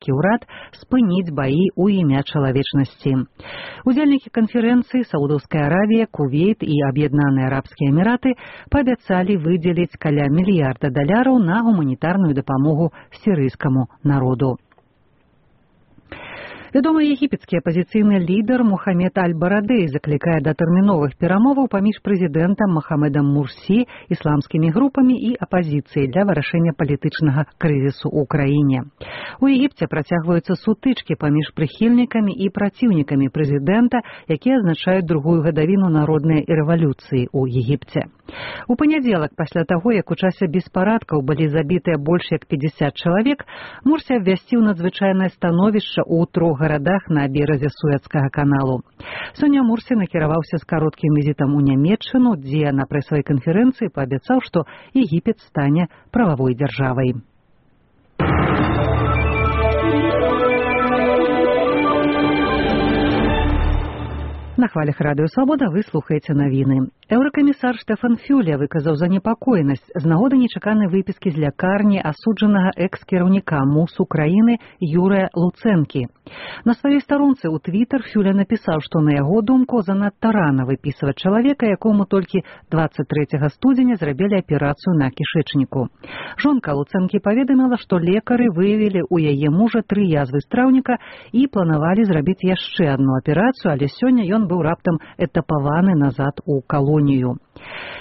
егіпецкі ўрад спыніць баі ў імя чалавечнасці. Удзельнікі канферэнцыі Саудаўская Аравія, Кувейт і Аб'яднаныя Арабскія Эміраты паабяцалі выдзеліць каля $1 мільярда на гуманітарную дапамогу сірыйскаму народу. Вядомы егіпецкі апазіцыйны лідар Мухаммед Аль-Барадэй заклікае да тэрміновых перамоваў паміж прэзідэнтам Мохамедам Мурсі, ісламскімі групамі і апазіцыяй для вырашэння палітычнага крызісу ў краіне. У Егіпце працягваюцца сутычкі паміж прыхільнікамі і праціўнікамі прэзідэнта, якія адзначаюць другую гадавіну народнай рэвалюцыі ў Егіпце. У панядзелак, пасля таго, як у часе беспарадкаў былі забітыя больш як 50 чалавек, Мурсі абвясціў надзвычайнае становішча ў 3 гарадах на беразе Суэцкага каналу. Сёння Мурсі накіраваўся з кароткім візітам у Нямецчыну, дзе на прэсавай канферэнцыі паабяцаў, што Егіпет стане прававой дзяржавай. На хвалях Радыё Свабода вы слухаеце навіны. Еўракамісар Штефан Фюле выказаў занепакоенасць з нагоды нечаканай выпіскі з лякарні асуджанага экс-кіраўніка МУС Украіны Юрыя Луцэнкі. На сваёй старонцы ў Твіттер Фюле напісаў, што на яго думку занадта рана выпісваць чалавека, якому толькі 23 студзеня зрабілі аперацыю на кішэчніку. Жонка Луцэнкі паведаміла, што лекары выявілі ў яе мужа 3 язвы страўніка і планавалі зрабіць яшчэ адну аперацыю, але сёння ён быў раптам этапаваны назад у калонію.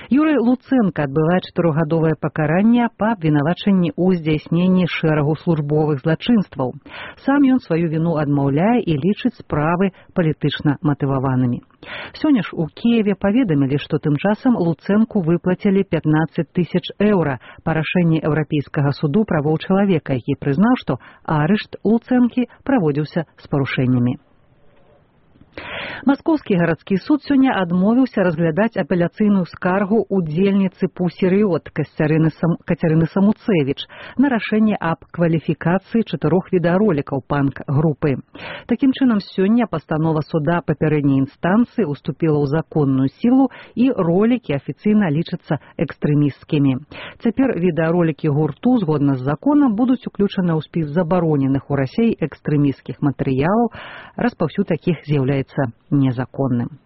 Юрый Луцэнка адбывае 4-гадовае пакаранне па абвінавачанні ў здзяйсненні шэрагу службовых злачынстваў. Сам ён сваю віну адмаўляе і лічыць справы палітычна матываванымі. Сёння ж у Кіеве паведамілі, што тым часам Луцэнку выплацілі 15 000 еўра па рашэнні Еўрапейскага суду правоў чалавека, які прызнаў, што арышт Луцэнкі праводзіўся з парушэннямі. Маскоўскі гарадскі суд сёння адмовіўся разглядаць апеляцыйную скаргу удзельніцы Пусі Рыот Кацярыны Самуцевіч на рашэнне аб кваліфікацыі 4 відэаролікаў панк-групы. Такім чынам, сёння пастанова суда папярэдняй інстанцыі уступіла ў законную сілу і ролікі афіцыйна лічацца экстрэмісцкімі. Цяпер відэаролікі гурту, згодна з законам, будуць уключаны ў спіс забароненых у Расіі экстрэмісцкіх матэрыялаў, распаўсюд такіх з'яўляецца незаконным.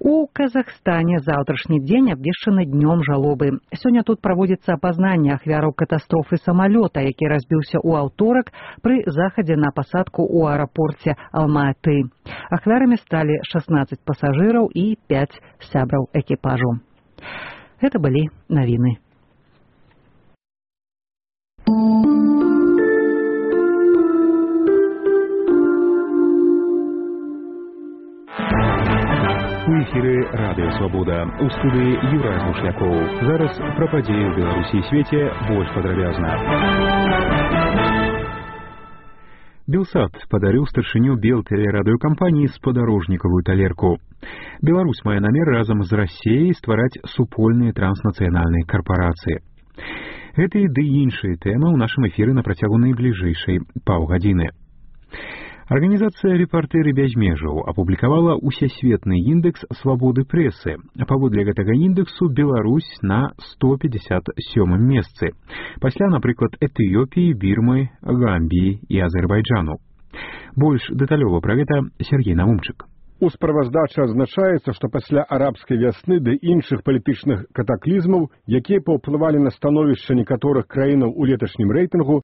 У Казахстане заўтрашні дзень абвешчаны днём жалобы. Сёння тут праводзіцца апазнанне ахвяраў катастрофы самалёта, які разбіўся ў аўторак пры захадзе на пасадку ў аэрапорце Алма-Аты. Ахвярамі сталі 16 пасажыраў і 5 сябраў экіпажу. Гэта былі навіны. У эфіры Радыё Свабода. У студыі Юрай Мушлякоў. Зараз пра падзеі ў Беларусі і свеце больш падрабязна. Белсат падарыў старшыню Белтэлерадыёкампаніі спадарожнікавую талерку. Беларусь мае намер разам з Расіяй ствараць супольныя транснацыянальныя карпарацыі. Гэты ды іншыя тэмы ў нашым эфіры на працягу найбліжэйшай паўгадзіны. Арганізацыя «Рэпартэры без межаў» апублікавала усесветны індекс свабоды прэсы. Паводле гэтага індексу Беларусь на 157-м месцы. Пасля, напрыклад, Этыёпіі, Бірмы, Гамбіі і Азербайджану. Больш дэталёва пра гэта Сергей Наумчык. У справаздачы адзначаецца, што пасля арабскай вясны ды іншых палітычных катаклізмаў, якія паўплывалі на становішча некаторых краінаў у леташнім рэйтынгу,